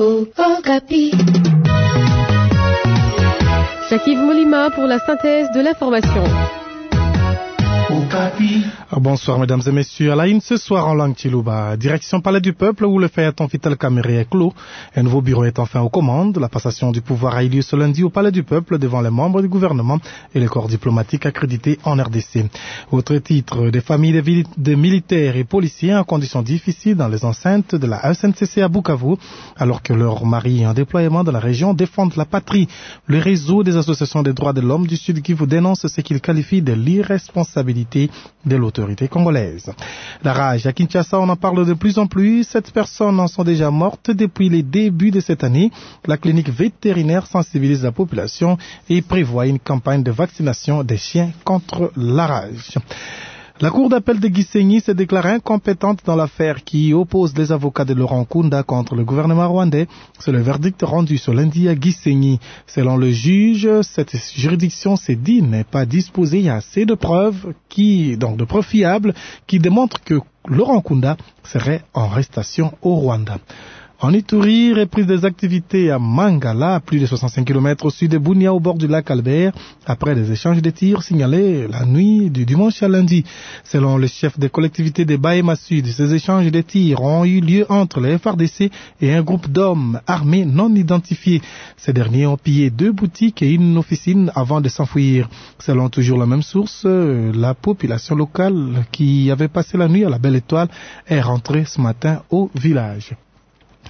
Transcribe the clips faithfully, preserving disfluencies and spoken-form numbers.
Okapi. Jacques-Yves Molima pour la synthèse de l'information. Bonsoir mesdames et messieurs. À la une ce soir en langue Chiluba, direction Palais du Peuple où le feuilleton Vital Kamerhe est clos. Un nouveau bureau est enfin aux commandes. La passation du pouvoir a eu lieu ce lundi au Palais du Peuple devant les membres du gouvernement et les corps diplomatiques accrédités en R D C. Autre titre, des familles de, de militaires et policiers en conditions difficiles dans les enceintes de la S N C C à Bukavu, alors que leurs maris en déploiement dans la région défendent la patrie. Le réseau des associations des droits de l'homme du Sud Kivu dénonce ce qu'il qualifie de l'irresponsabilité de l'autorité congolaise. La rage à Kinshasa, on en parle de plus en plus. Sept personnes en sont déjà mortes depuis les débuts de cette année. La clinique vétérinaire sensibilise la population et prévoit une campagne de vaccination des chiens contre la rage. La cour d'appel de Gisenyi s'est déclarée incompétente dans l'affaire qui oppose les avocats de Laurent Nkunda contre le gouvernement rwandais. C'est le verdict rendu ce lundi à Gisenyi. Selon le juge, cette juridiction s'est dit n'est pas disposée à assez de preuves qui, donc de preuves fiables, qui démontrent que Laurent Nkunda serait en arrestation au Rwanda. En Ituri, reprise des activités à Mangala, à plus de soixante-cinq kilomètres au sud de Bunia, au bord du lac Albert, après des échanges de tirs signalés la nuit du dimanche à lundi. Selon le chef des collectivités de Bahema Sud, ces échanges de tirs ont eu lieu entre les F R D C et un groupe d'hommes armés non identifiés. Ces derniers ont pillé deux boutiques et une officine avant de s'enfuir. Selon toujours la même source, la population locale qui avait passé la nuit à la Belle Étoile est rentrée ce matin au village.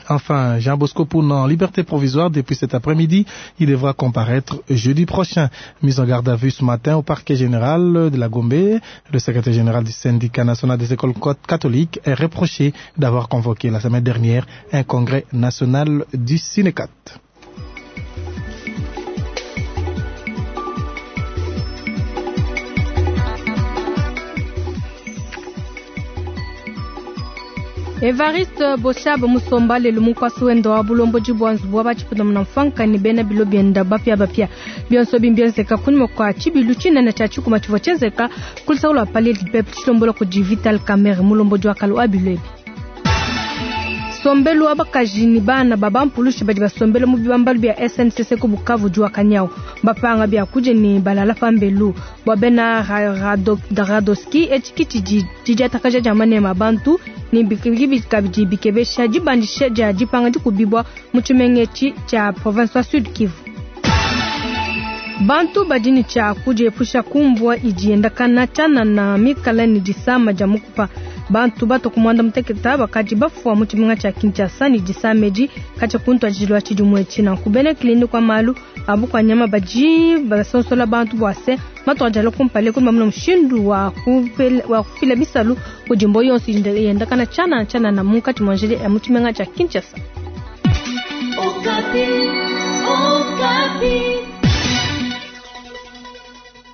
Enfin, Jean Bosco Poun en liberté provisoire depuis cet après-midi. Il devra comparaître jeudi prochain. Mise en garde à vue ce matin au parquet général de la Gombe. Le secrétaire général du syndicat national des écoles catholiques est reproché d'avoir convoqué la semaine dernière un congrès national du Synécat. Evariste Boshab Musomba lelo mukwasi wenda wa bulomboji bwa nzubu wa batshipunda muna mfanka ni bena bilo bienda bapia bapia bionso bimbienzeka kunyuma kwa tshibilu tshinene tshia tshikuma tshivua tshienzeka kulisaku lua Palais du Peuple tshilombola kudi Vital Kamerhe mulomboji wa kale wa bilo ebi. Sombelu wa bakaji ni bana baba mpulushi badi basombela mu bibambalu bia S N C C ku Bukavu jua kanyau bapanga bia kuje ni balala pambelu bwa bena Radoski etshikiti didi atakaja dia manema bantu ni bikibiki kabidi bikebesha dibandisha dia dipanga dikubibwa mu tshimengetshi tshia province wa Sud Kivu. Bantu badini tshia kudiepusha kumbwa idi endakana tshianana na mikala ni disama dia mukupa. Bantu bato kumwanda muteketa bakadi bafua mu tshimenga tshia Kinshasa ni disama edi katshia kuntua tshilua tshidi muetshi nanku bena kilindi kwa malu abu kwa nyama badi basonsola bantu bua se matu adi alua kumpala kudi bamuna mushindu wa kupela, wa kufila bisalu kudi mbo yonso yendakana tshianana tshianana munkatshi mua njila ya mu tshimenga tshia Kinshasa. Okapi, Okapi.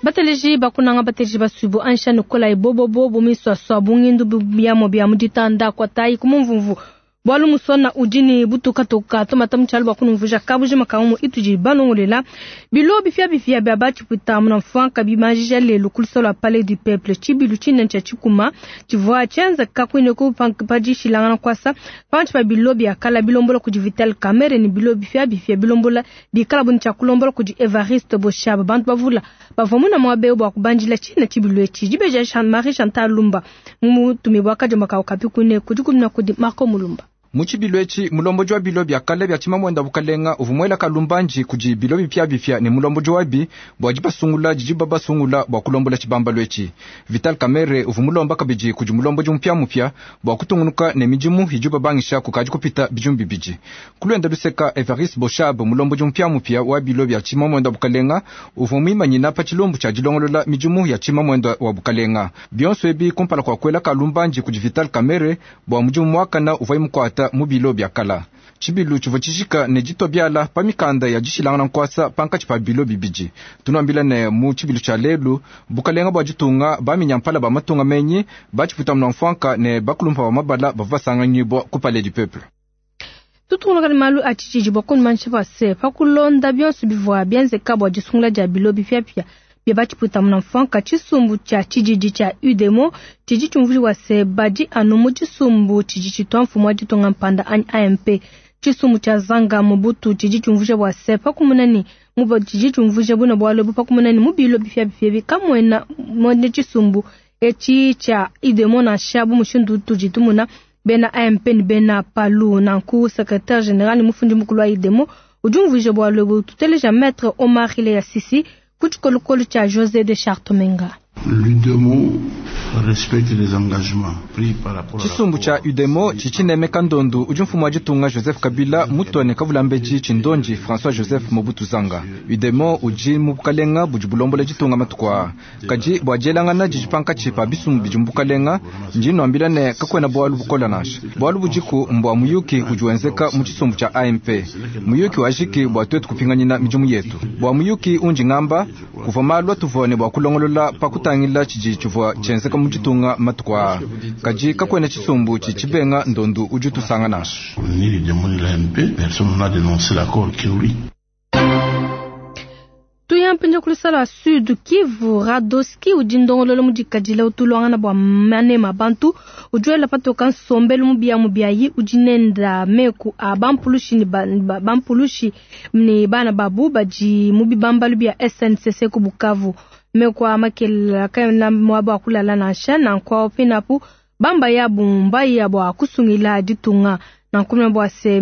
Bateleji bakunanga bateleji basubu ansha nukola ibobobo bumiswa swa bungindu biyamo bya muditanda kwa tai kumumvumvu bwalu musona udini butuka toka tomata mchalo bakunumvuja kabuji makaumu ituji banongolela bilo bifia bifia bya bachiputa muna mfanka bimajija lelo kulisola Palais du Peuple chibilu chine cha chikuma chivua chenza kakwine ku padishilangana kwasa panchi pa bilo bya kala bilombola kudi Vital Kamerhe ni bilo bifia bifia bilombola bikala buni cha kulombola kudi Evariste Boshab bantu bavula bavomuna mwabe bwa kubanjila chine chibilu echi jibeja Jean-Marie Chantal Lumba mutumibwa kajo makao kapi kune kudi kumna kudi Marco Mulumba. Muchibilu echi mulomboji wa bilo bya kale bya tshimamwenda bukalenga uvumwela kalumbanji kudi bilo bipya bipya ne mulomboji wabi bwa dibasungula didi babasungula bwa kulombola tshibambalo echi. Vital Kamerhe uvumulomba kabidi kudi mulomboji mupya mupya bwa kutungunuka ne midimu idi babangisha kukadi kupita bidimu bibidi. Kulwenda luseka Evariste Boshab mulomboji mupya mupya wa bilo bya tshimamwenda bukalenga uvumwimanyina pa tshilumbu tshia dilongolola midimu ya tshimamwenda wa bukalenga. Bionso ebi kumpala kua kuela kalumbanji kudi Vital Kamerhe bwa mudimu muakana uvua mukuata mu bilo bya kala. Tshibilu tshivua tshijika ne ditua biala pa mikanda ya dishilangana nkuasa pankatshi pa bilo bibidi. Tunuambila ne mu tshibilu tshia lelu bukalenga bua ditunga baminyampala ba matunga menyi batshiputa muna mfuanka ne bakulumpa ba mabala bavua basanganyibua ku Palais du Peuple. Tutunga malu a tshitshidi bua kunumanisha pa se pa kulonda bionso bivua bienzeka bua disungula dia bilo bipiapia bia batshiputa muna mfuanka tshisumbu tshia tshididi tshia U D M O tshidi tshiumvuiwa se badi anu mu tshisumbu tshidi tshitua mfumu wa ditunga mpanda anyi A M P. Tshisumbu tshia Zanga Mobutu tshidi tshiumvuija bua se pakumuna ne mu tshidi tshiumvuija buna bualu ebu pakumuna ne mu bilo bipiabipia ebi kamuena muena tshisumbu etshi tshia Udemo nansha bu mushindu utudi tumuna bena A M P ne bena Palu. Nanku secrétaire général mufundi mukulu wa Udemo udi umvuija bualu ebu. Tuteleja maître Omar Hileya Sisi ku tshikolokolo tshia José de Chartomenga. L'Udemo respecte les engagements pris par rapport à Tshisumbu tshia Udemo tshitshinemeka ndondu udi mfumu wa ditunga Joseph Kabila mutone kavulambedi tshindonji François Joseph Mobutu Zanga. Udemo udi mu bukalenga budi bulombola ditunga matuku aa. Kadi bua dielangana didi pankatshi pa bisumbu bidi mu bukalenga, ndi nwambila ne kakuena bualu bukola nansha. Bualu budiku mbua muyuki udi wenzeka mu tshisumbu tshia A M P. Muyuki wajiki bua tuetu kupinganyina midimu yetu. Bua muyuki undi ngamba, kuvua malu atuvua ne bua kulongolola pa kutangila tshidi tshivua tshienzeka mu ditunga matuku aa. Kadi kakuena tshisumbu tshitshibenga ndondu udi utusanga nansha. Ni l'Udemo ni l'A M P, personne n'a dénoncé l'accord qui nous lie. Tuyampinja kulusala Sud Kivu Radoski udi ndongololo mudikadila utulwangana bua manema bantu ujuela patoka nsombelu mubia mubiayi udi nenda meku a bampulushi ni ba, ba, bampulushi ni bana babu badi mu bibambalu bia S N C C ku Bukavu. Meku a makela kana mwaba wa kulala nansha na nkwa pinapu bamba ya bumba ya bua kusungila ditunga. Na nkumina bua se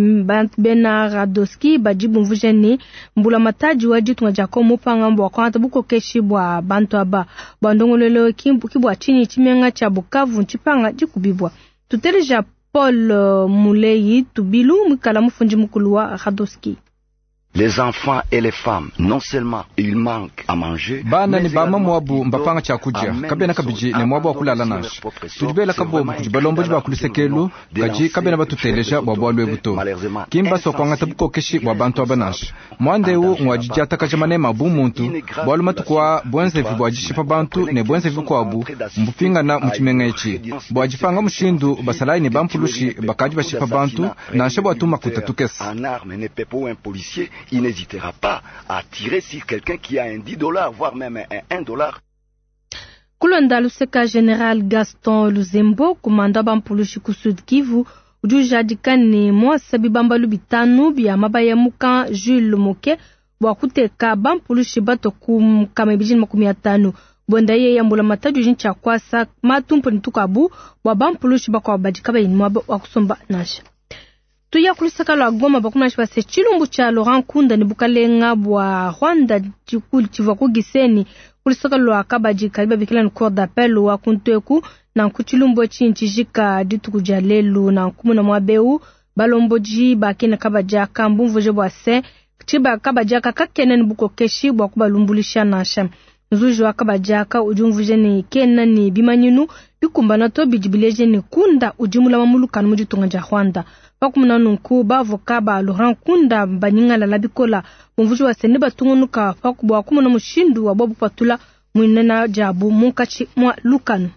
bena Radoski badi bumvuje ni mbula mataji wa ditunga dia Kongo mupanga bua kuangata bukokeshi bua bantu aba. Bua ndongololo ki bua tshinyi tshimenga tshia Bukavu ntshipanga dikubibwa. Tuteleja Paul Muleyi Tubilu mukala mufundi mukulu wa Radoski. Les enfants et les femmes, non seulement ils manquent à manger, bana ne bama mwabu mbapanga cha kudia kabena kabiji ne mwabu akulala nansha tudibela kabombu kudi balomboji ba kulusekelu kadi kabena batuteleja bua bualu ebu to kimba sokwangata bukokeshi bua bantu aba nansha mwandeu ngwadidiatakaja manema bu muntu bualu matuku a bwenzevi bua dishipa bantu ne bwenzevi kuabu mbupingana mu tshimenga etshi bua dipanga mushindu basalayi ne bampulushi bakadi bashipa bantu nansha bua tumakuta tukese. Il n'hésitera pas à tirer sur quelqu'un qui a un dix dollars, voire même un un dollar. Kulonda luseka Général Gaston Luzembo, kumanda bampulushi ku Sud Kivu, udi ujadika ne mwasa bibambalu bitanu bia mabaya muka Jules Moke bua kuteka bampulushi bato ku nkama ibidi na makumi atanu. Bonda ye yambula matadi udi ntshia kuasa matumpu ne tukabu bua bampulushi bakuabu badi kabayi ne muaba wa kusomba nansha. Tuya kulusaka lwa Goma bakumana base tshilumbu tshia Laurent Nkunda ne bukalenga bua Rwanda tshivua ku Gisenyi kulusaka lwa Kabadi kadi babikila ne cour d'appel wa kunteku na ku tshilumbu etshi ntshijika dituku dia lelu na nkumuna mwabeu balomboji bakena Kabadi aka mbumvuje bua se tshiba Kabadi aka kakena ne bukokeshi bua kubalumbulisha nansha. Nzuji wa Kabadi aka udi umvuje ne kena ne bimanyinu bikumbana to bidi bileje ne Nkunda udi mulama mulukanu mu ditunga dia Rwanda. Pakumuna nunku bavoka ba Laurent Nkunda banyingalala bikola bumvuji wa sene batungunuka pakubwa kumuna mushindu wa bobu patula mwinena jabu munkatshi mwa lukanu.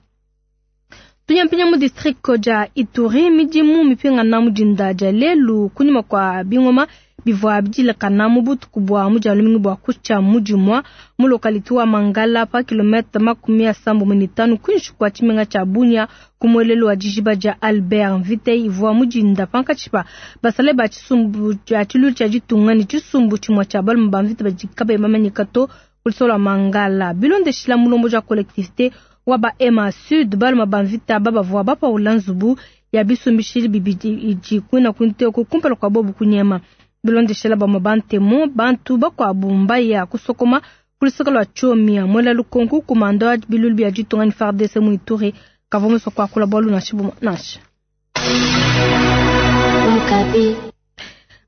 Tunyampinya mu district ja Ituri midimu mipingana mu dinda dia lelu kunyima kwa bingoma bivua bidilakana mu butuku bua mu dia lumingu bua kutshia mu dimua mu lokalite wa Mangala pa kilomètre makumi asambo mu mitanu kuinshi kua tshimenga tshia Bunia ku muelelu wa dijiba dia Albert Mvite ivua mu dinda pankatshi pa basale ba tshisumbu tshia tshilu tshia ditunga ne tshisumbu tshimue tshia balume ba mvita badi kabayi bamanyika to ku lusolo lua Mangala. Bilondeshila mulomboji wa collectivité wa ba Ema Sud balume ba mvita babavua bapaula nzubu ya bisumbishili bibidi idi kuina kunteko kumpala kua bobu kunyema. Bilondeshela bamwe bantemo bantu bakuabu mbaya kusokoma kulusaka lwa Tchomia mwela lukonku kumanda wa bilulu bia ditunga ni F A R D C mu Ituri kavua musua kuakula bualu nansha bumue nansha.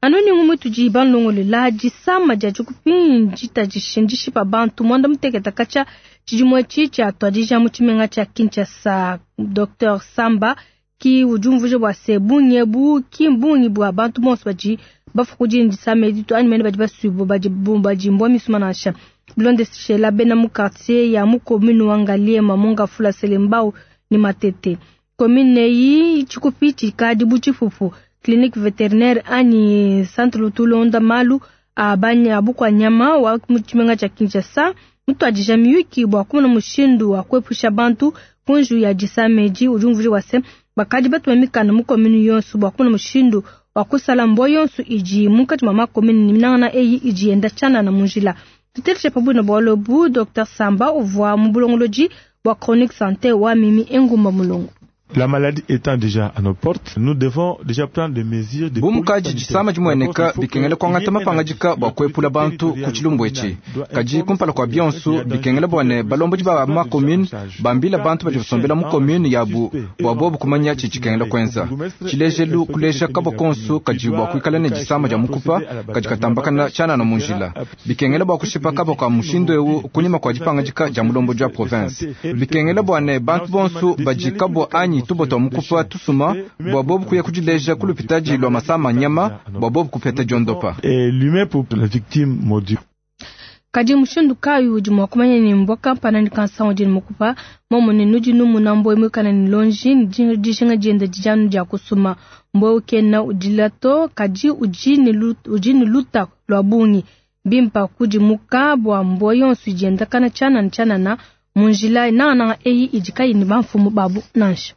Anoni ngumwe tudi banlongolela disama dia dikupinji tadishindishi pa bantu mwanda muteketa katshia tshidimue tshi tshia tuadija mu tshimenga tshia Kinshasa. Docteur Samba ki udi umvuija bua se bungi ebu ki mbungi bua bantu bonso badi bafuku disama edi to anyi mene badi basuibue badi badi mbwa misuma nansha. Bilondeshela bena mu quartier ya mu commune wa Ngaliema Mongafula Selembao ni Matete. Commune eyi tshikupi tshikadi bu tshipupu. Clinique vétérinaire anyi centre lutulonda malu a banya bukwa nyama wa mu tshimenga tshia Kinshasa mutuadija miyuki bua kumona mushindu wa kuepusha bantu kunju ya disama edi. Udi umvuija bua se bakadi batuma mikanda mu commune yonso bua kumona mushindu wa kusala mbwa yonso idi munkatshi mua makomine ne minangana eyi idi yenda tshianana mu njila. Tuteleshe pabuina bualu bu Docteur Samba uvua mu bulongolodi bua Chronique Santé wa Mimi Engumba Mulongo. La maladie étant déjà à nos portes, nous devons déjà prendre des mesures de bu mukaji disama dimueneka bikengele kuangata mapangadika bua kuepula bantu ku tshilumbu etshi. Kadi kumpala kua bionso bikengele bua ne balombodi ba ma commune bambila bantu badi basombela mu commune yabu bua bobu kumanya tshidi tshikengela kuenza. Tshilejelu kuleja kabua konso kadi bua kuikala ne disama dia mukupa kadi katambakana tshianana mu njila. Bikengele bua kushipa kabua ka mushindu eu kunyima kua dipangadika dia mulombodi wa province. Bikengele bua ne bantu bonso badi kabua anyi tubo twa mukupa tusuma bua bobu kuya kudileja ku lupitadi lwa masama nyama bua bobu kupeta diondopa. Et l'humain pour la victime maudite. Kadi mushindu kayi udi mua kumanya ne mbwa kampana ne kansa udi ne mukupa momo ne nudi numuna mbwa muikala ne lonji ne dijinga dienda dijanu dia kusuma mbwa ukena udila to kadi udi ne udi ne luta lua bungi bimpa kudimuka bua mbwa yonso idienda kana tshianana tshianana mu njila nangananga eyi idi kayi ne bamfumu babu nansha.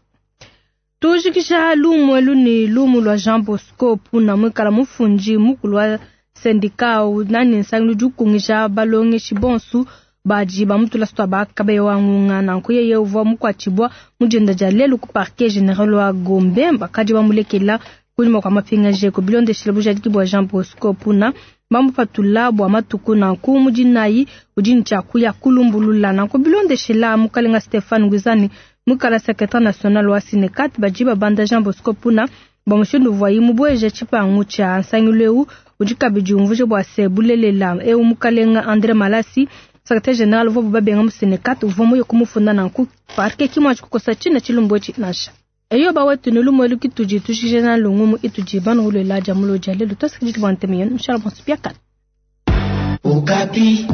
Tujikisha lumu elu ni lumu lwa Jean Bosco Puna mwikala mufundi mukulu wa sendika nani nsangilu dikungisha balongeshi bonsu badi bamutula sitwa bakabe wangunga nanku yeye uvua mukwatshibwa mujenda dia lelu ku parquet général wa Gombe bakadi bamulekela kunyima kua mapingaje ku bilondeshile bujadiki bua Jean Bosco Puna bamupatula bua matuku nanku mudinayi udi ne tshia kuya kulumbulula nanku bilondeshela mukalenga Stéphane Ngwizani mukala secrétaire national wa Sinekat badi babanda Jean Bosco Puna bamushindu uvuaye mubueje tshipangu tshia nsangilu eu udi kabidi umvuje bua se bulelela eu mukalenga André Malasi secrétaire général uvua babenga mu Sinekat uvua muye kumufunda nanku parquet kimwa tshikukosa tshina tshilumbu etshi nansha. Eyo bawetu ne lumu elu kitudi tushije na lungumu itudi banu ulela dia mulo dia lelu tosikidi bua nteme yenu nshala bonso biakana. Okapi.